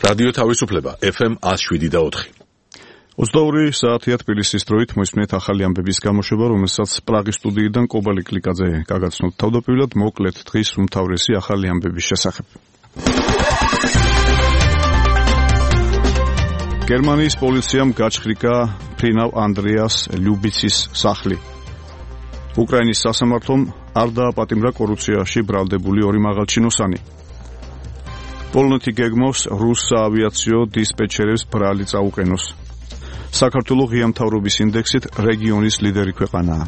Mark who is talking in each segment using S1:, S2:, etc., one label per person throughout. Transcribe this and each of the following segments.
S1: რადიო თავისუფლება FM 107.4.
S2: 22 საათია თბილისის დროით მოისმენთ ახალი ამბების გამოშვება, რომელსაც პრაღის სტუდიიდან კობალი კლიკაძე გაგაცნოთ. თავდაპირველად მოკლედ დღის უმთავრესი ახალი ამბების შესახებ. გერმანიის პოლიციამ გაჩხრიკა ფრინავ ანდრეას ლიუბიცის სახლი. უკრაინის სასამართლომ არ დააპატიმრა კორუფციაში ბრალდებული ორი მაღალჩინოსანი. პოლონეთი გეგმავს რუს საავიაციო დისპეჩერებს ბრალი წაუყენოს. საქართველოს ღია მთავრობის ინდექსით რეგიონის ლიდერი ქვეყანაა.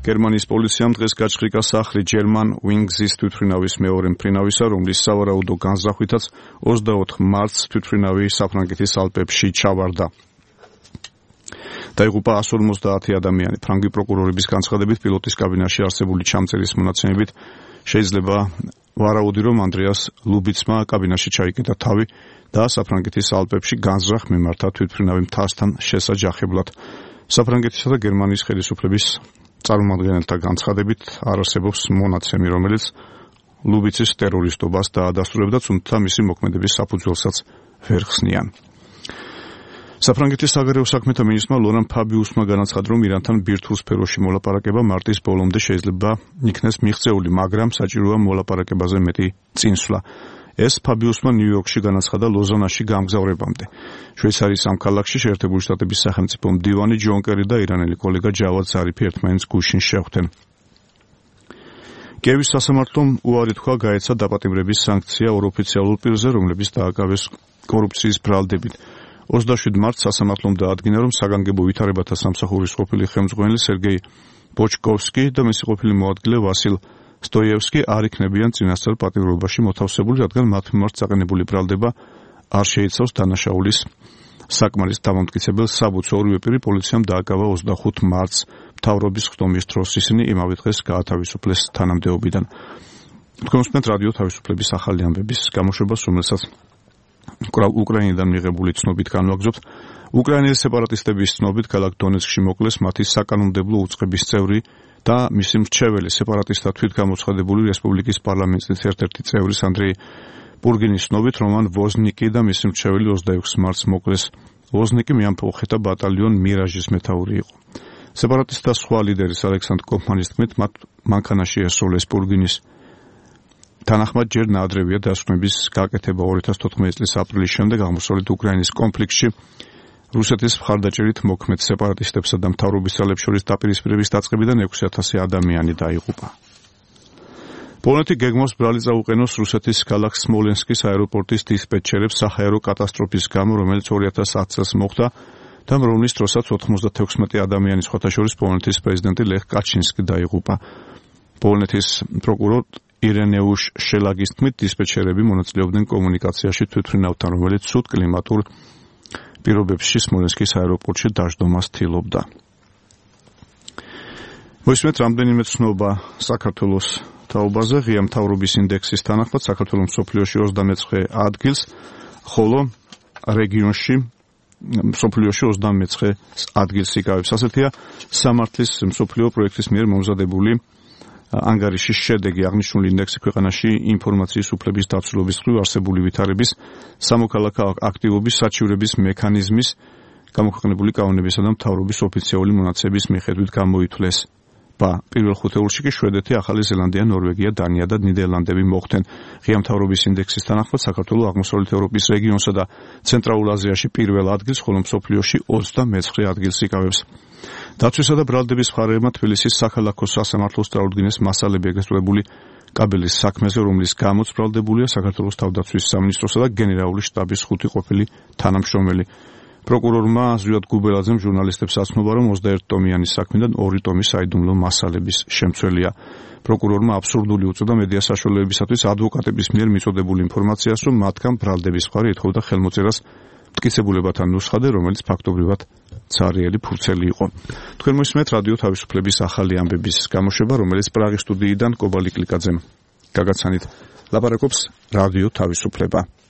S2: გერმანიის პოლიციამ დღეს გაჩხრიკა სახლი ჯერმან ვინგზის თვითმფრინავის მეორე მფრინავისა, რომლის სავარაუდო განზრახვითაც 24 მარტს თვითმფრინავი საფრანგეთის ალპებში ჩავარდა. დაიღუპა 150 ადამიანი. ფრანგი პროკურორების განცხადებით, პილოტის კაბინაში არსებული ჩამწერის მონაცემებით შეიძლება ვარაუდი, რომ ანდრეას ლუბიცმა კაბინაში ჩაიკეტა თავი და საფრანგეთის ალპებში განზრახ მიმართა თვითმფრინავი მთასთან შესაჯახებლად. საფრანგეთისა და გერმანიის ხელისუფლების წარმომადგენელთა განცხადებით არ არსებობს მონაცემი, რომელიც ლუბიცის ტერორისტობას დაადასტურებდა, თუმცა მისი მოქმედების საფუძველსაც ვერ ხსნიან. საფრანგეთის საგარეო საქმეთა მინისტრმა ლორან ფაბიუსმა განაცხადა, რომ ირანთან ბირთვულ სფეროში მოლაპარაკება მარტის ბოლომდე შეიძლება იქნეს მიღწეული, მაგრამ საჭიროა მოლაპარაკებაზე მეტი წინსვლა. ეს ფაბიუსმა ნიუ-იორკში განაცხადა ლოზანაში გამგზავრებამდე. შვეიცარიის ამ ქალაქში შეერთებული შტატების სახელმწიფო მდივანი ჯონ კერი და ირანელი კოლეგა ჯავად ზარიფი ერთმანეთს გუშინ შეხვდნენ. კიევის სასამართლომ უარი თქვა გაეცა დაპატიმრების სანქცია ორ ოფიციალურ პირზე, რომლებიც დააკავეს კორუფციის ბრალდებით. 27 მარტს სასამართლომ დაადგინა, რომ საგანგებო ვითარებათა სამსახურის ყოფილი ხელმძღვანელი სერგეი ბოჩკოვსკი და მისი ყოფილი მოადგილე ვასილ სტოიევსკი არ იქნებიან წინასწარ პატიმრობაში მოთავსებული, რადგან მათ მიმართ საყენებული ბრალდება არ შეიცავს დანაშაულის საკმარის დამამტკიცებელ საბუთს. ორივე პირი პოლიციამ დააკავა 25 მარტს მთავრობის ხდომის დროს. ისინი იმავე დღეს გაათავისუფლეს თანამდებობიდან. თქვენ უსმენთ რადიო თავისუფლების ახალი ამბების გამოშვებას, რომელსაც უკრაინიდან მიღებული ცნობით განვაგრძობთ. უკრაინელი სეპარატისტების ცნობით ქალაქ დონეცკში მოკლეს მათი საკანონმდებლო უწყების წევრი და მისი მრჩეველი სეპარატისტთა თვითგამოცხადებული რესპუბლიკის პარლამენტის ერთ-ერთი წევრის ანდრეი პურგინის ცნობით რომან ვოზნიკი და მისი მრჩეველი 26 მარტს მოკლეს. ვოზნიკი მეამფოხეთა ბატალიონ მირაჟის მეთაური იყო. სეპარატისტთა სხვა ლიდერის ალექსანდრ კოფმანის თქმით, მათ მანქანაში ესროლეს პურგინის თანახმად ჯერ ნაადრევია დასკვნების გაკეთება 2014 წლის აპრილის შემდეგ აღმოსავლეთ უკრაინის კონფლიქტში რუსეთის მხარდაჭერით მოქმედ სეპარატისტებსა და მთავრობის ძალებს შორის დაპირისპირების დაწყებიდან 6000 ადამიანი დაიღუპა. პოლონეთი გეგმავს ბრალი წაუყენოს რუსეთის ქალაქ სმოლენსკის აეროპორტის დისპეჩერებს საჰაერო კატასტროფის გამო, რომელიც 2010 წელს მოხდა და რომლის დროსაც 96 ადამიანის სხვათა შორის პოლონეთის პრეზიდენტი ლეხ კაჩინსკი დაიღუპა. პოლონეთის პროკურორ ირენეუშ შელაგის თქმით, დისპეჩერები მონაწილეობდნენ კომუნიკაციაში თვითმფრინავთან, რომელიც ცუდ კლიმატურ პირობებში სმოლენსკის აეროპორტში დაждდომას თილობდა. მოისმენთ რამდენიმე ცნობა საქართველოს თაობაზე. ღია მთავრობის ინდექსის თანახმად საქართველოს მსოფლიოში 29 ადგილს, ხოლო რეგიონში მსოფლიოში 29 ადგილს იკავებს. ასეთია სამართლის მსოფლიო პროექტის მიერ მომზადებული ანგარიშის შედეგი. აღნიშნული ინდექსი ქვეყანაში ინფორმაციის უფლების დაცულობის მხრივ არსებული ვითარების, სამოქალაქო აქტივობის საჩივრების მექანიზმის, გამოქვეყნებული კანონებისა და მთავრობის ოფიციალური მონაცემების მიხედვით გამოითვლეს. პირველ ხუთეულში კი შვედეთი, ახალი ზელანდია, ნორვეგია, დანია და ნიდერლანდები მოხვდნენ. ღია მთავრობის ინდექსის თანახმად საქართველოს აღმოსავლეთ ევროპის რეგიონსა და ცენტრალურ აზიაში პირველ ადგილს, ხოლო მსოფლიოში 29 ადგილს იკავებს. დაცვისა და ბრალდების მხარეებმა თბილისის საქალაქო სასამართლოს წარუდგინეს მასალები ეგრესტებული კაბელის საქმეზე, რომლის გამოც ბრალდებულია საქართველოს თავდაცვის სამინისტროსა და გენერალური შტაბის 5 ყოფილი თანამშრომელი. პროკურორმა ზვიად გუბელაძემ ჟურნალისტებს აცნობა, რომ 21 ტომიანი საქმიდან 2 ტომი საიდუმლო მასალების შემცველია. პროკურორმა აბსურდული უწოდა მედია საშუალებებისათვის ადვოკატების მიერ მიწოდებული ინფორმაციას, რომ მათგან ბრალდების მხარე ეთხოვდა ხელმოწერას მტკიცებულებათა ნუსხადე, რომელიც ფაქტობრივად ცარიელი ფურცელი იყო. თქვენ მოისმენთ რადიო თავისუფლების ახალი ამბების გამოშვება, რომელიც პრაღის სტუდიიდან კობალი კლიკაძემ გაგაცანით. ლაპარაკობს რადიო თავისუფლება.